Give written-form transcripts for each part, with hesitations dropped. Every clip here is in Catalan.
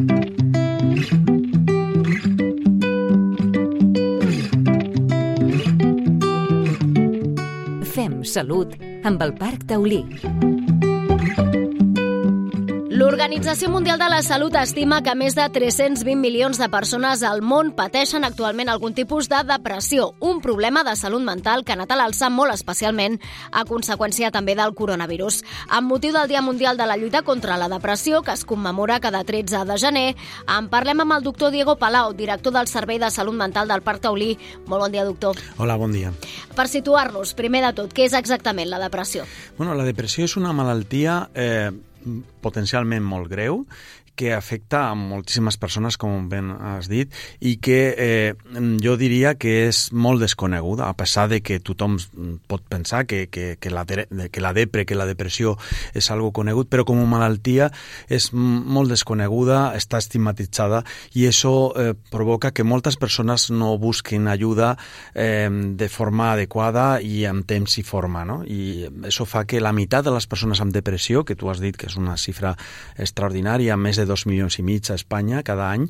Fem salut amb el Parc Taulí. L'Organització Mundial de la Salut estima que més de 320 milions de persones al món pateixen actualment algun tipus de depressió, un problema de salut mental que ha anat a l'alça molt especialment a conseqüència també del coronavirus. Amb motiu del Dia Mundial de la Lluita contra la Depressió, que es commemora cada 13 de gener, en parlem amb el doctor Diego Palau, director del Servei de Salut Mental del Parc Taulí. Molt bon dia, doctor. Hola, bon dia. Per situar-nos, primer de tot, què és exactament la depressió? Bueno, la depressió és una malaltia potencialment molt greu que afecta a moltíssimes persones, com ben has dit, i que jo diria que és molt desconeguda, a pesar de que tothom pot pensar que la depressió és algo conegut, però com a malaltia és molt desconeguda, està estigmatitzada, i això provoca que moltes persones no busquin ajuda de forma adequada i en temps i forma, no? I això fa que la meitat de les persones amb depressió, que tu has dit que és una xifra extraordinària, més de 2,5 milions a Espanya cada any,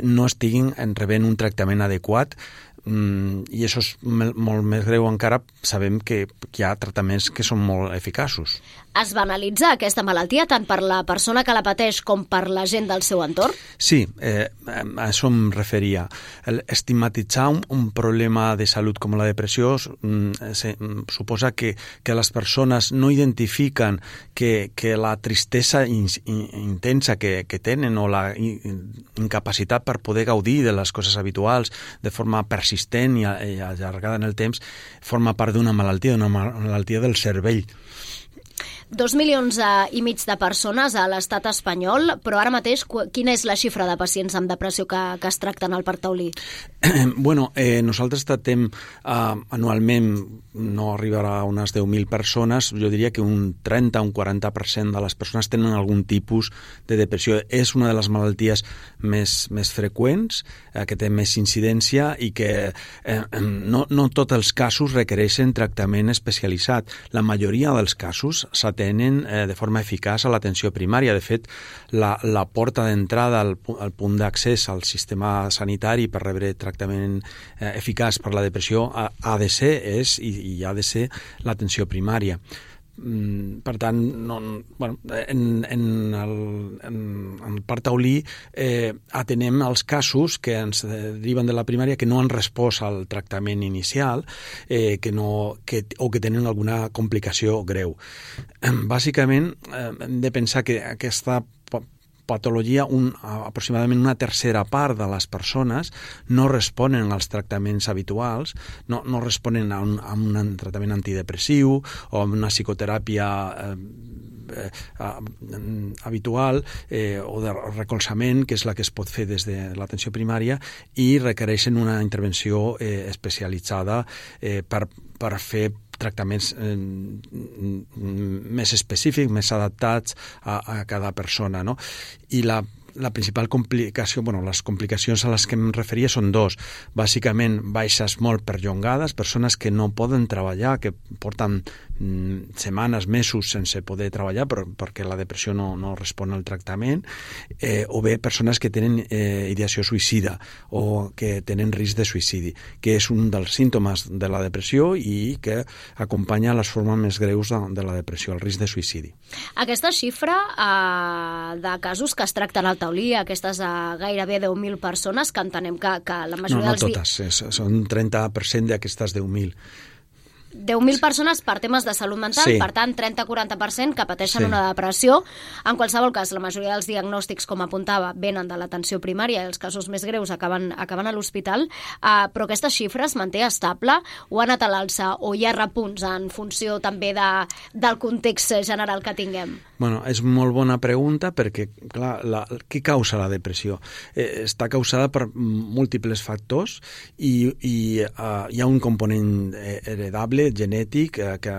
no estiguin rebent un tractament adequat, i això és molt més greu encara. Sabem que hi ha tractaments que són molt eficaços. Es banalitza aquesta malaltia tant per la persona que la pateix com per la gent del seu entorn? Sí, a això em referia. Estigmatitzar un problema de salut com la depressió suposa que les persones no identifiquen que la tristesa intensa que tenen o la incapacitat per poder gaudir de les coses habituals de forma persistent i allargada en el temps forma part d'una malaltia del cervell. 2,5 milions de persones a l'estat espanyol, però ara mateix quina és la xifra de pacients amb depressió que es tracten al Parc Taulí? Bueno, nosaltres tractem anualment, no arribarà a unes 10.000 persones, jo diria que un 30 o un 40% de les persones tenen algun tipus de depressió. És una de les malalties més freqüents, que té més incidència i que no tots els casos requereixen tractament especialitzat. La majoria dels casos s'atenen de forma eficaç a l'atenció primària. De fet, la porta d'entrada al punt d'accés al sistema sanitari per rebre tractament eficaç per la depressió ha de ser i ha de ser l'atenció primària. Per tant, en el Parc Taulí atenem els casos que ens deriven de la primària que no han respost al tractament inicial o que tenen alguna complicació greu. Bàsicament, hem de pensar que aquesta patologia, aproximadament una tercera part de les persones no responen als tractaments habituals, no responen a un tractament antidepressiu o a una psicoteràpia habitual o de recolzament, que és la que es pot fer des de l'atenció primària, i requereixen una intervenció especialitzada per fer tractaments més específics, més adaptats a cada persona, no? I la principal complicació, les complicacions a les que em referia són dos. Bàsicament, baixes molt perllongades, persones que no poden treballar, que porten setmanes, mesos sense poder treballar perquè la depressió no respon al tractament, o bé persones que tenen ideació suïcida o que tenen risc de suïcidi, que és un dels símptomes de la depressió i que acompanya les formes més greus de la depressió, el risc de suïcidi. Aquesta xifra de casos que es tracten al Taulí, aquestes gairebé 10.000 persones, que entenem que la majoria dels... No totes, són 30% d'aquestes 10.000. 10.000 persones per temes de salut mental, sí. Per tant, 30-40% que pateixen una depressió. En qualsevol cas, la majoria dels diagnòstics, com apuntava, venen de l'atenció primària i els casos més greus acaben a l'hospital, però aquesta xifra es manté estable o ha anat a l'alça o hi ha repunts en funció també del context general que tinguem? És molt bona pregunta perquè, clar, què causa la depressió? Està causada per múltiples factors i hi ha un component heredable, genètic, que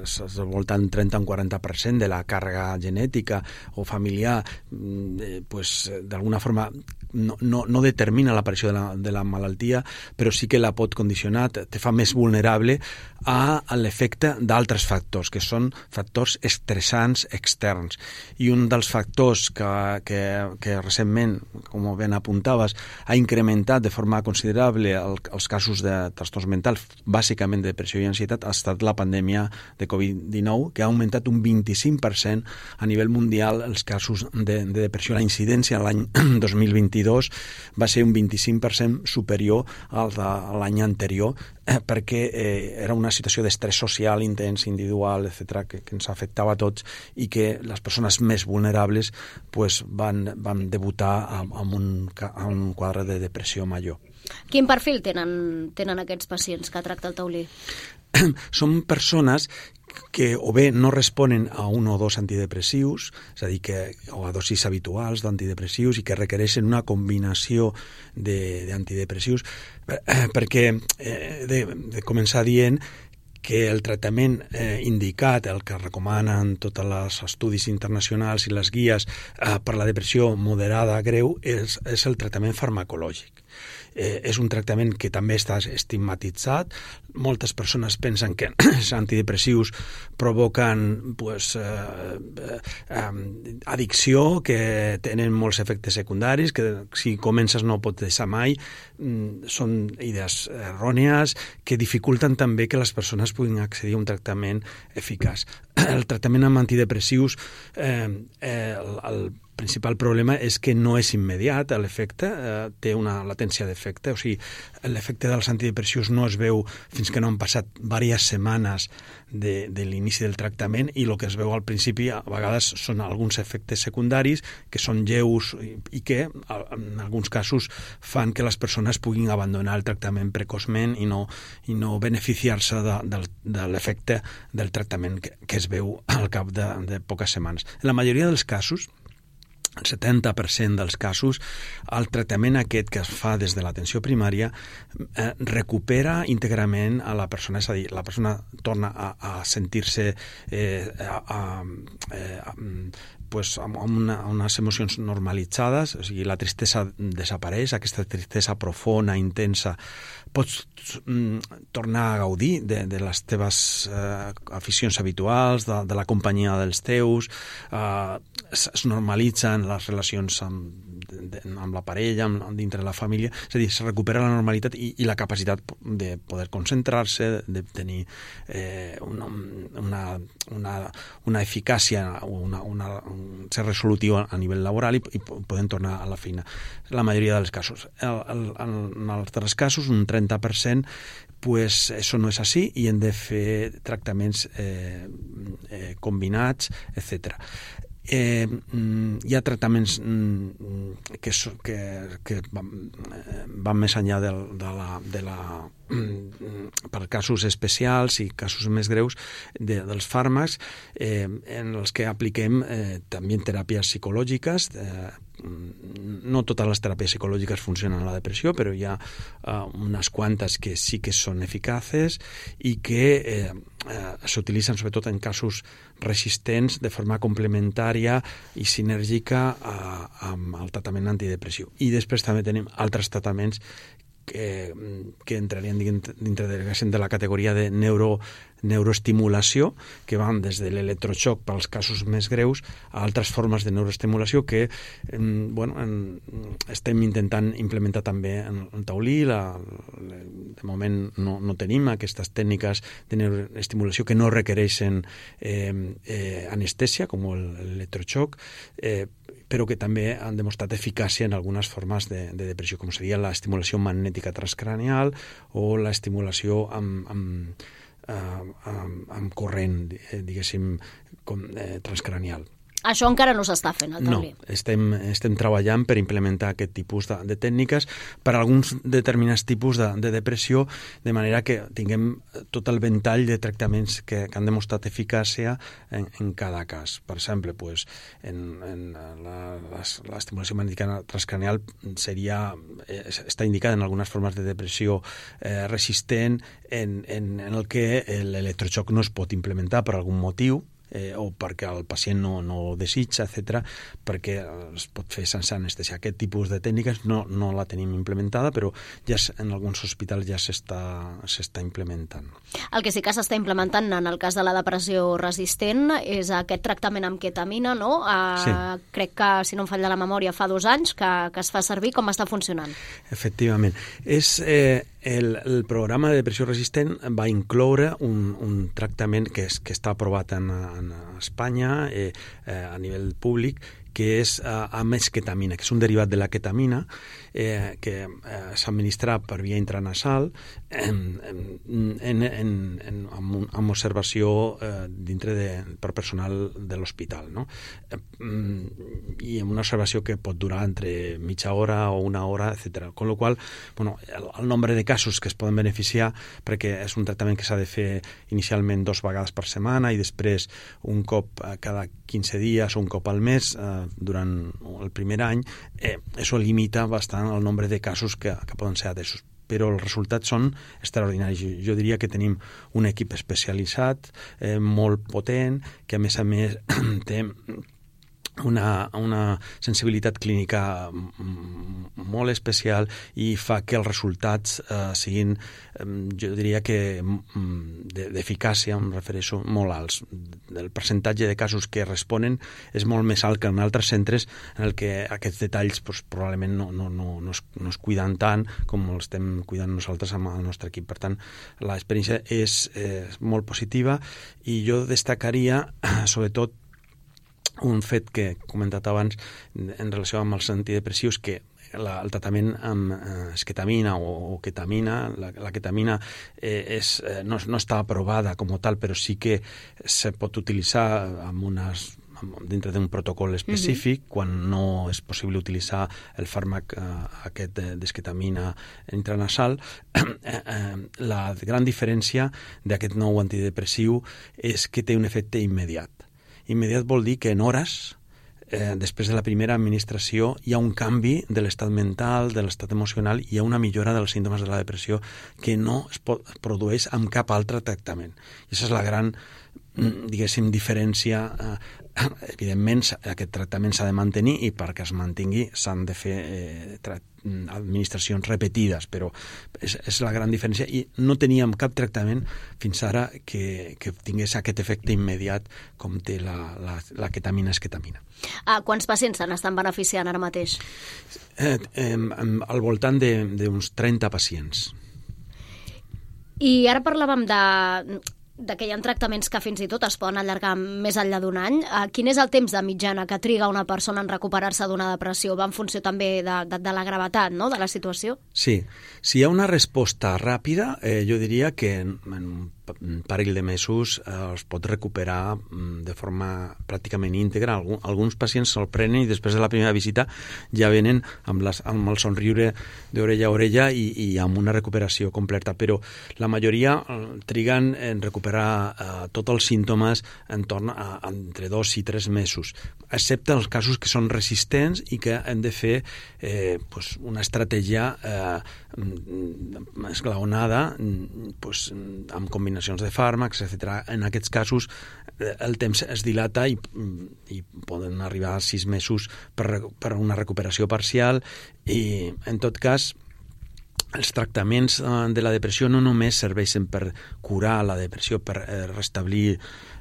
és al voltant 30-40% de la càrrega genètica o familiar, d'alguna forma no determina l'aparició de la malaltia, però sí que la pot condicionar, te fa més vulnerable a l'efecte d'altres factors, que són factors estressants externs. I un dels factors que recentment, com ben apuntaves, ha incrementat de forma considerable els casos de trastorns mentals, bàsicament de depressió i ansietat, ha estat la pandèmia de Covid-19, que ha augmentat un 25% a nivell mundial els casos de depressió. La incidència l'any 2022 va ser un 25% superior al de l'any anterior, perquè era una situació d'estrès social intens, individual, etc., que ens afectava a tots i que les persones més vulnerables van debutar amb un quadre de depressió major. Quin perfil tenen aquests pacients que tracta el taulí? Són persones que o bé no responen a un o dos antidepressius, és a dir, o a dosis habituals d'antidepressius i que requereixen una combinació d'antidepressius, perquè de començar dient que el tractament indicat, el que recomanen tots els estudis internacionals i les guies per la depressió moderada greu, és el tractament farmacològic. És un tractament que també està estigmatitzat. Moltes persones pensen que els antidepressius provoquen addicció, que tenen molts efectes secundaris, que si comences no pots deixar mai. Són idees errònies que dificulten també que les persones puguin accedir a un tractament eficaç. El tractament amb antidepressius, el principal problema és que no és immediat l'efecte, té una latència d'efecte, o sigui, l'efecte dels antidepressius no es veu fins que no han passat diverses setmanes de l'inici del tractament, i el que es veu al principi a vegades són alguns efectes secundaris que són lleus i que en alguns casos fan que les persones puguin abandonar el tractament precoçment i no beneficiar-se de l'efecte del tractament que es veu al cap de poques setmanes. En la majoria dels casos, el 70% dels casos, el tractament aquest que es fa des de l'atenció primària recupera íntegrament a la persona, és a dir, la persona torna a sentir-se amb unes emocions normalitzades, o sigui, la tristesa desapareix, aquesta tristesa profunda, intensa. Pots tornar a gaudir de les teves aficions habituals, de la companyia dels teus, es normalitzen les relacions amb la parella, dintre la família, és a dir, se recupera la normalitat i la capacitat de poder concentrar-se, de tenir una eficàcia, ser resolutiu a nivell laboral i poden tornar a la feina. La majoria dels casos. En altres casos, un 30%, pues eso no és així i hem de fer tractaments combinats, etc. Hi ha tractaments que van més enllà per casos especials i casos més greus dels fàrmacs, en els que apliquem també teràpies psicològiques. No totes les teràpies psicològiques funcionen a la depressió, però hi ha unes quantes que sí que són eficaces i que s'utilitzen sobretot en casos resistents de forma complementària i sinèrgica amb el tractament antidepressiu. I després també tenim altres tractaments que entrarien dintre de la categoria de neuroestimulació, que van des de l'electroxoc pels casos més greus a altres formes de neuroestimulació que estem intentant implementar també en el taulí. De moment no tenim aquestes tècniques de neuroestimulació que no requereixen anestèsia, com l'electroxoc, però que també han demostrat eficàcia en algunes formes de depressió, com seria l'estimulació magnètica transcranial o l'estimulació amb corrent, diguéssim, transcranial. Això encara no s'està fent, al taulí. No, estem treballant per implementar aquest tipus de tècniques per a alguns determinats tipus de depressió, de manera que tinguem tot el ventall de tractaments que han demostrat eficàcia en cada cas. Per exemple, l'estimulació magnètica transcranial està indicada en algunes formes de depressió resistent en el que l'electroxoc no es pot implementar per algun motiu, o perquè el pacient no ho desitja, etc., perquè es pot fer sense anestesia. Aquest tipus de tècniques no la tenim implementada, però ja en alguns hospitals ja s'està implementant. El que sí que s'està implementant en el cas de la depressió resistent és aquest tractament amb ketamina, no? Sí. Crec que, si no em falla la memòria, fa 2 anys que es fa servir. Com està funcionant? Efectivament. El programa de depressió resistent va incloure un tractament que està aprovat en Espanya a nivell públic, que és amb esketamina, que és un derivat de la ketamina que s'administra per via intranasal amb observació per personal de l'hospital, no? I amb una observació que pot durar entre mitja hora o una hora, etc. Con la qual cosa, el nombre de casos que es poden beneficiar, perquè és un tractament que s'ha de fer inicialment 2 vegades per setmana i després un cop cada 15 dies o un cop al mes durant el primer any, això limita bastant el nombre de casos que poden ser atesos. Però els resultats són extraordinaris. Jo diria que tenim un equip especialitzat, molt potent, que a més té una sensibilitat clínica molt especial i fa que els resultats siguin, jo diria que d'eficàcia, em refereixo, molt alts. El percentatge de casos que responen és molt més alt que en altres centres en el que aquests detalls probablement no es cuiden tant com els estem cuidant nosaltres amb el nostre equip. Per tant, l'experiència és molt positiva i jo destacaria sobretot un fet que he comentat abans en relació amb els antidepressius, que el tractament amb esketamina o ketamina, la ketamina no està aprovada com tal, però sí que se pot utilitzar dintre d'un protocol específic quan no és possible utilitzar el fàrmac aquest d'esketamina intranasal. La gran diferència d'aquest nou antidepressiu és que té un efecte immediat. Immediat vol dir que en hores, després de la primera administració, hi ha un canvi de l'estat mental, de l'estat emocional, hi ha una millora dels símptomes de la depressió que no es produeix amb cap altre tractament. I aquesta és la gran, diguéssim, diferència. Evidentment, aquest tractament s'ha de mantenir i perquè es mantingui s'han de fer administracions repetides, però és la gran diferència i no teníem cap tractament fins ara que tingués aquest efecte immediat com té la ketamina esketamina. Quants pacients se n'estan beneficiant ara mateix? Al voltant d'uns 30 pacients. I ara parlàvem de que hi ha tractaments que fins i tot es poden allargar més enllà d'un any. Quin és el temps de mitjana que triga una persona en recuperar-se d'una depressió? Va en funció també de la gravetat, no?, de la situació? Sí. Si hi ha una resposta ràpida, jo diria que en un parell de mesos es pot recuperar de forma pràcticament íntegra. Alguns pacients se'l prenen i després de la primera visita ja venen amb el somriure d'orella a orella i amb una recuperació completa, però la majoria triguen en recuperar tots els símptomes entorn a entre 2 i 3 mesos, excepte els casos que són resistents i que hem de fer una estratègia esglaonada amb combinacions de fàrmacs, etc. En aquests casos el temps es dilata i poden arribar a 6 mesos per una recuperació parcial i, en tot cas, els tractaments de la depressió no només serveixen per curar la depressió, per restablir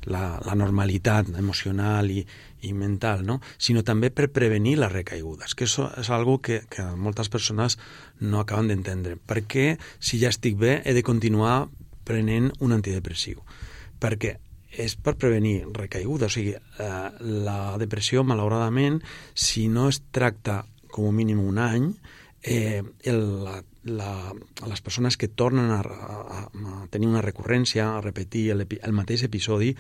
la normalitat emocional i mental, no?, sinó també per prevenir les recaigudes, que això és algo que moltes persones no acaben d'entendre. Per què, si ja estic bé, he de continuar prenent un antidepressiu? Perquè és per prevenir recaigudes. O sigui, la depressió, malauradament, si no es tracta com a mínim un any, les persones que tornen a tenir una recurrència, a repetir el mateix episodi,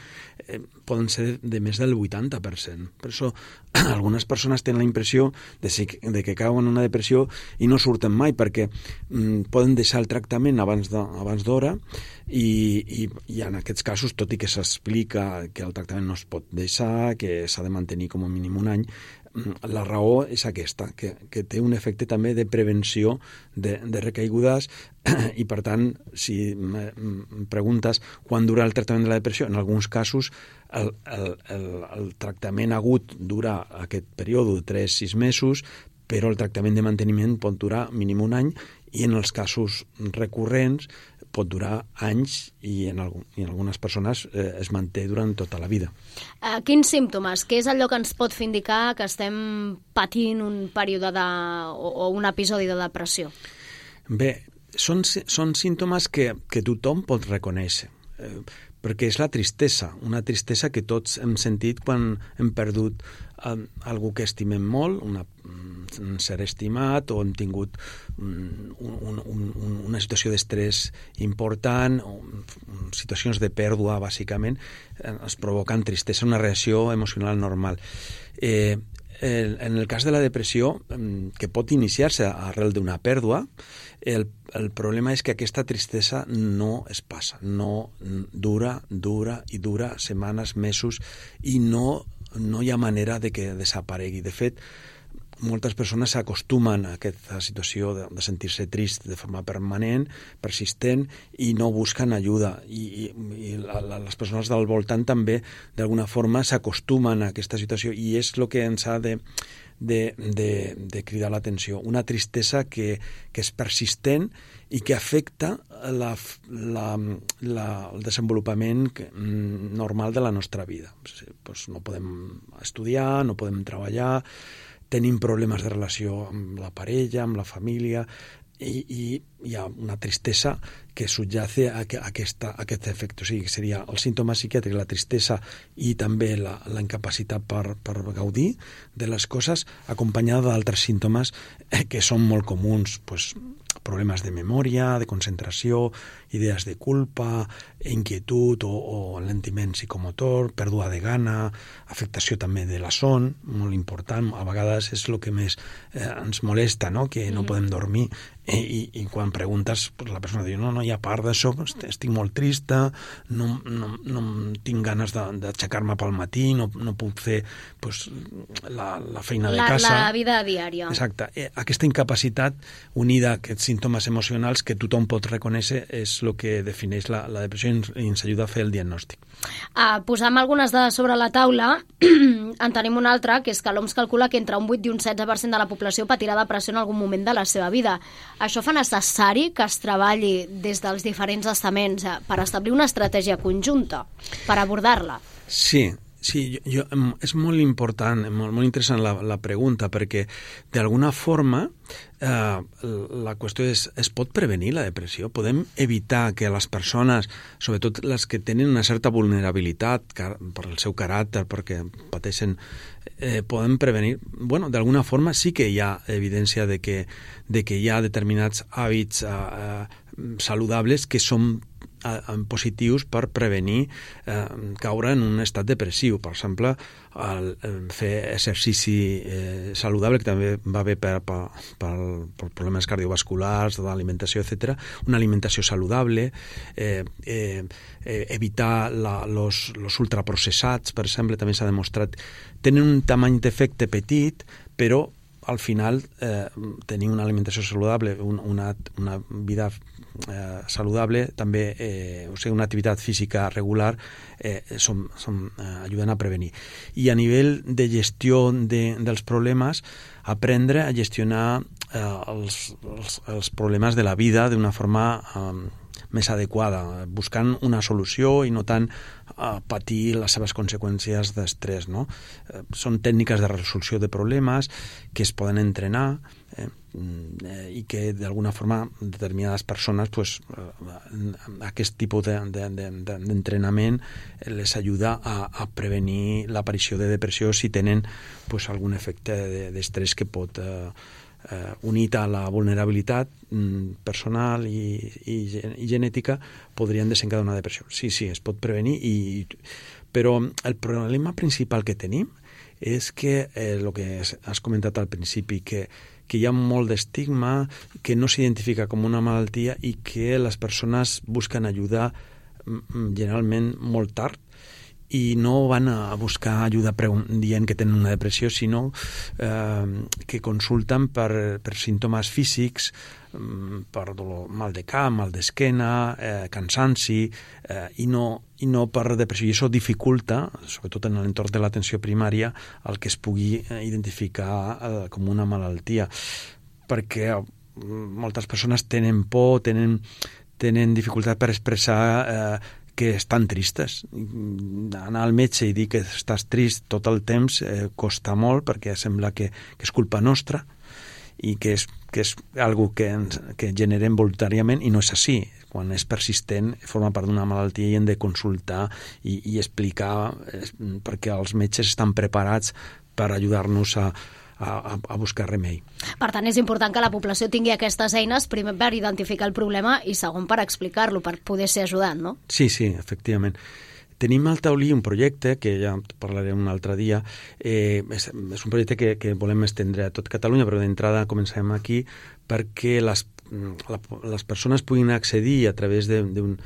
poden ser de més del 80%. Per això algunes persones tenen la impressió de que cauen en una depressió i no surten mai, perquè poden deixar el tractament abans d'hora i en aquests casos, tot i que s'explica que el tractament no es pot deixar, que s'ha de mantenir com a mínim un any, La raó és aquesta, que té un efecte també de prevenció de recaigudes i, per tant, si em preguntes quan dura el tractament de la depressió, en alguns casos el tractament agut dura aquest període de 3-6 mesos, però el tractament de manteniment pot durar mínim un any i en els casos recurrents pot durar anys i en algunes persones es manté durant tota la vida. Quins símptomes? Què és allò que ens pot fer indicar que estem patint un període o un episodi de depressió? Bé, són símptomes que tothom pot reconèixer, perquè és la tristesa, una tristesa que tots hem sentit quan hem perdut algú que estimem molt, un ser estimat, o hem tingut una situació d'estrès important, o situacions de pèrdua, bàsicament, es provoquen tristesa, una reacció emocional normal. En el cas de la depressió, que pot iniciar-se arrel d'una pèrdua, el problema és que aquesta tristesa no es passa, no dura i dura setmanes, mesos, i no hi ha manera de que desaparegui. De fet, moltes persones s'acostumen a aquesta situació de sentir-se trist de forma permanent, persistent, i no busquen ajuda. I les persones del voltant també, d'alguna forma, s'acostumen a aquesta situació, i és el que ens ha de cridar l'atenció. Una tristesa que és persistent i que afecta el desenvolupament normal de la nostra vida. Pues no podem estudiar, no podem treballar, tenim problemes de relació amb la parella, amb la família, i hi ha una tristesa que subyace a aquest efecte. O sigui, seria el símptoma psiquiàtric, la tristesa i també la incapacitat per gaudir de les coses, acompanyada d'altres símptomes que són molt comuns, pues, problemes de memòria, de concentració, idees de culpa, inquietud o alentiment psicomotor, pèrdua de gana, afectació també de la son, molt important. A vegades és el que més ens molesta, no? Que no podem dormir, i quan preguntes, pues, la persona diu, no hi ha part d'això, estic molt trista, no tinc ganes d'aixecar-me pel matí, no puc fer, pues, la feina de casa. La vida diària. Exacte. Aquesta incapacitat unida a aquests símptomes emocionals que tothom pot reconèixer és el que defineix la depressió i ens ajuda a fer el diagnòstic. Posam algunes dades sobre la taula. En tenim una altra, que és que l'OMS calcula que entre un 8 i un 16% de la població patirà depressió en algun moment de la seva vida. Això fa necessari que es treballi des dels diferents estaments per establir una estratègia conjunta per abordar-la? Sí, és molt important, molt interessant la pregunta, perquè d'alguna forma la qüestió és, es pot prevenir la depressió? Podem evitar que les persones, sobretot les que tenen una certa vulnerabilitat per el seu caràcter, perquè pateixen, podem prevenir? Bueno, d'alguna forma sí que hi ha evidència de que hi ha determinats hàbits saludables que són positius per prevenir caure en un estat depressiu. Per exemple, fer exercici saludable, que també va bé per problemes cardiovasculars, d'alimentació, etc. Una alimentació saludable, evitar los ultraprocessats, per exemple, també s'ha demostrat, tenen un tamany d'efecte petit, però al final tenir una alimentació saludable, una vida saludable, també o sigui, una activitat física regular, ajuden a prevenir. I a nivell de gestió dels problemes, aprendre a gestionar els problemes de la vida d'una forma més adequada, buscant una solució i no tant patir les seves conseqüències d'estrès, no? Són tècniques de resolució de problemes que es poden entrenar i que d'alguna forma determinades persones, pues, aquest tipus d'entrenament les ajuda a prevenir l'aparició de depressió si tenen, pues, algun efecte d'estrès que pot unit a la vulnerabilitat personal i genètica podrien desencadenar una depressió. Sí, es pot prevenir, però el problema principal que tenim és que el que has comentat al principi, que hi ha molt d'estigma, que no s'identifica com una malaltia i que les persones busquen ajuda generalment molt tard, i no van a buscar ajuda dient que tenen una depressió, sinó que consulten per símptomes físics, per dolor, mal de cap, mal d'esquena, cansanci, i no per depressió. I això dificulta, sobretot en l'entorn de l'atenció primària, el que es pugui identificar com una malaltia, perquè moltes persones tenen por, tenen dificultat per expressar que estan tristes. Anar al metge i dir que estàs trist tot el temps costa molt, perquè sembla que és culpa nostra i que és algo que generem voluntàriament, i no és així. Quan és persistent, forma part d'una malaltia i hem de consultar i explicar, perquè els metges estan preparats per ajudar-nos a buscar remei. Per tant, és important que la població tingui aquestes eines, primer per identificar el problema i segon per explicar-lo, per poder ser ajudat, no? Sí, efectivament. Tenim al taulí un projecte, que ja parlarem un altre dia, és un projecte que volem estendre a tot Catalunya, però d'entrada comencem aquí, perquè les persones puguin accedir a través d'un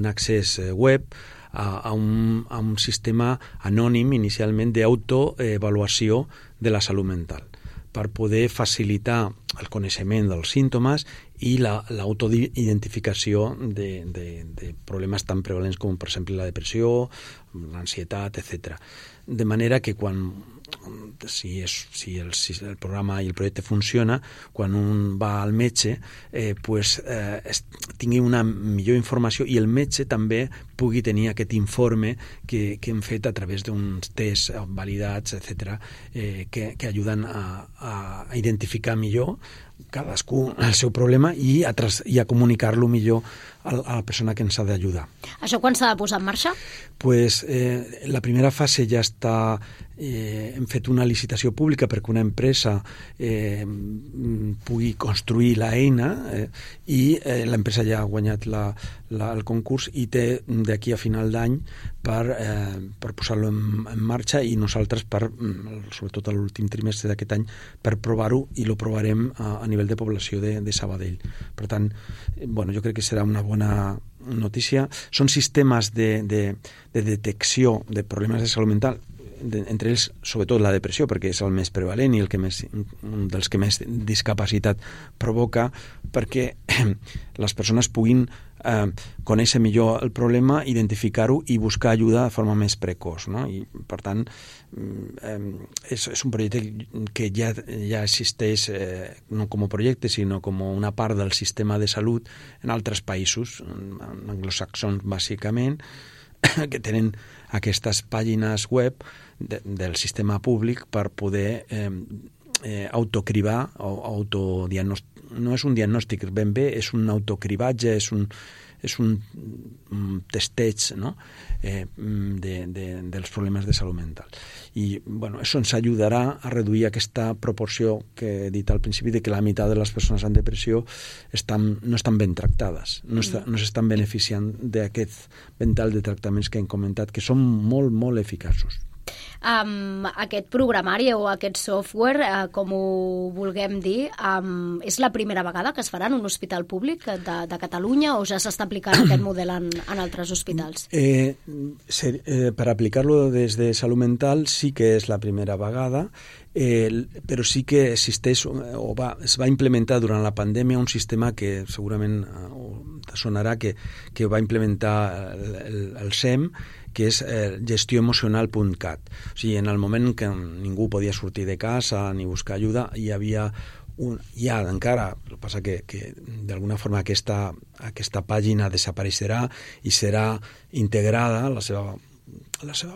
accés web a un sistema anònim, inicialment, d'autoavaluació de la salut mental, per poder facilitar el coneixement dels símptomes i l'autoidentificació de problemes tan prevalents com, per exemple, la depressió, l'ansietat, etc. De manera que si el programa i el projecte funciona, quan un va al metge, tingui una millor informació i el metge també pugui tenir aquest informe que hem fet a través d'uns tests validats, etc., que ajuden a identificar millor cadascú el seu problema i a comunicar-lo millor a la persona que ens ha d'ajudar. Això quan s'ha de posar en marxa? La primera fase ja està... hem fet una licitació pública perquè una empresa pugui construir l'eina i l'empresa ja ha guanyat el concurs i té d'aquí a final d'any per posar-lo en marxa, i nosaltres, sobretot a l'últim trimestre d'aquest any, per provar-ho, i lo provarem a nivell de població de Sabadell. Per tant, jo crec que serà una bona notícia. Són sistemes de detecció de problemes de salut mental, entre ells, sobretot, la depressió, perquè és el més prevalent i un dels que més discapacitat provoca, perquè les persones puguin conèixer millor el problema, identificar-ho i buscar ajuda de forma més precoç, no? I, per tant, és un projecte que ja existeix no com a projecte, sinó com una part del sistema de salut en altres països, anglosaxons bàsicament, que tenen aquestes pàgines web del sistema públic per poder autocribar o autodiagnòstic. No és un diagnòstic ben bé, és un autocribatge, és un testeig, no? Dels problemes de salut mental. I això ens ajudarà a reduir aquesta proporció que he dit al principi, de que la meitat de les persones amb depressió no estan ben tractades, no s'estan beneficiant d'aquest ventall de tractaments que hem comentat, que són molt, molt eficaços. Aquest programari o aquest software, com ho vulguem dir, és la primera vegada que es farà en un hospital públic de Catalunya, o ja s'està aplicant aquest model en altres hospitals? Per aplicar-lo des de salut mental sí que és la primera vegada, però sí que existeix es va implementar durant la pandèmia un sistema que segurament sonarà, que va implementar el SEM, que és gestioemocional.cat. O sigui, en el moment que ningú podia sortir de casa ni buscar ajuda, hi havia encara, el que passa que d'alguna forma aquesta pàgina desapareixerà i serà integrada la seva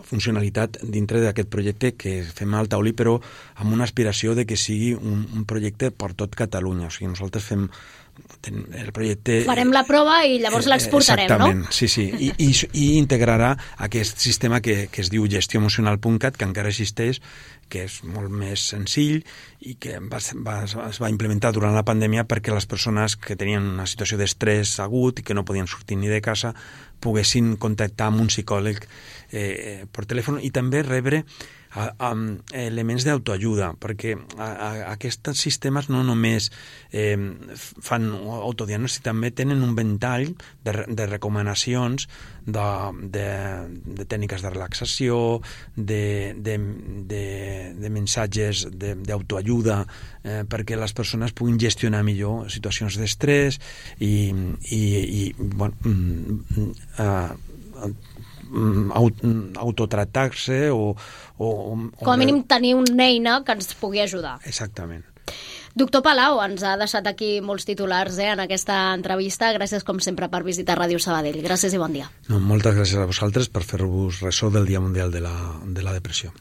funcionalitat dintre d'aquest projecte que fem al taulí, però amb una aspiració de que sigui un projecte per tot Catalunya. O sigui, nosaltres fem el projecte... Farem la prova i llavors l'exportarem, no? Exactament, sí. I integrarà aquest sistema que es diu gestioemocional.cat, que encara existeix, que és molt més senzill i que es va implementar durant la pandèmia perquè les persones que tenien una situació d'estrès agut i que no podien sortir ni de casa poguessin contactar amb un psicòleg per telèfon, i també rebre elements d'autoajuda, perquè aquests sistemes no només fan autodiagnòstic, també tenen un ventall de recomanacions de tècniques de relaxació, de missatges d'autoajuda, perquè les persones puguin gestionar millor situacions d'estrès i autotractar-se o com a mínim tenir una eina que ens pugui ajudar. Exactament. Doctor Palau, ens ha deixat aquí molts titulars en aquesta entrevista. Gràcies, com sempre, per visitar Ràdio Sabadell. Gràcies i bon dia. Moltes gràcies a vosaltres per fer-vos ressò del Dia Mundial de la Depressió.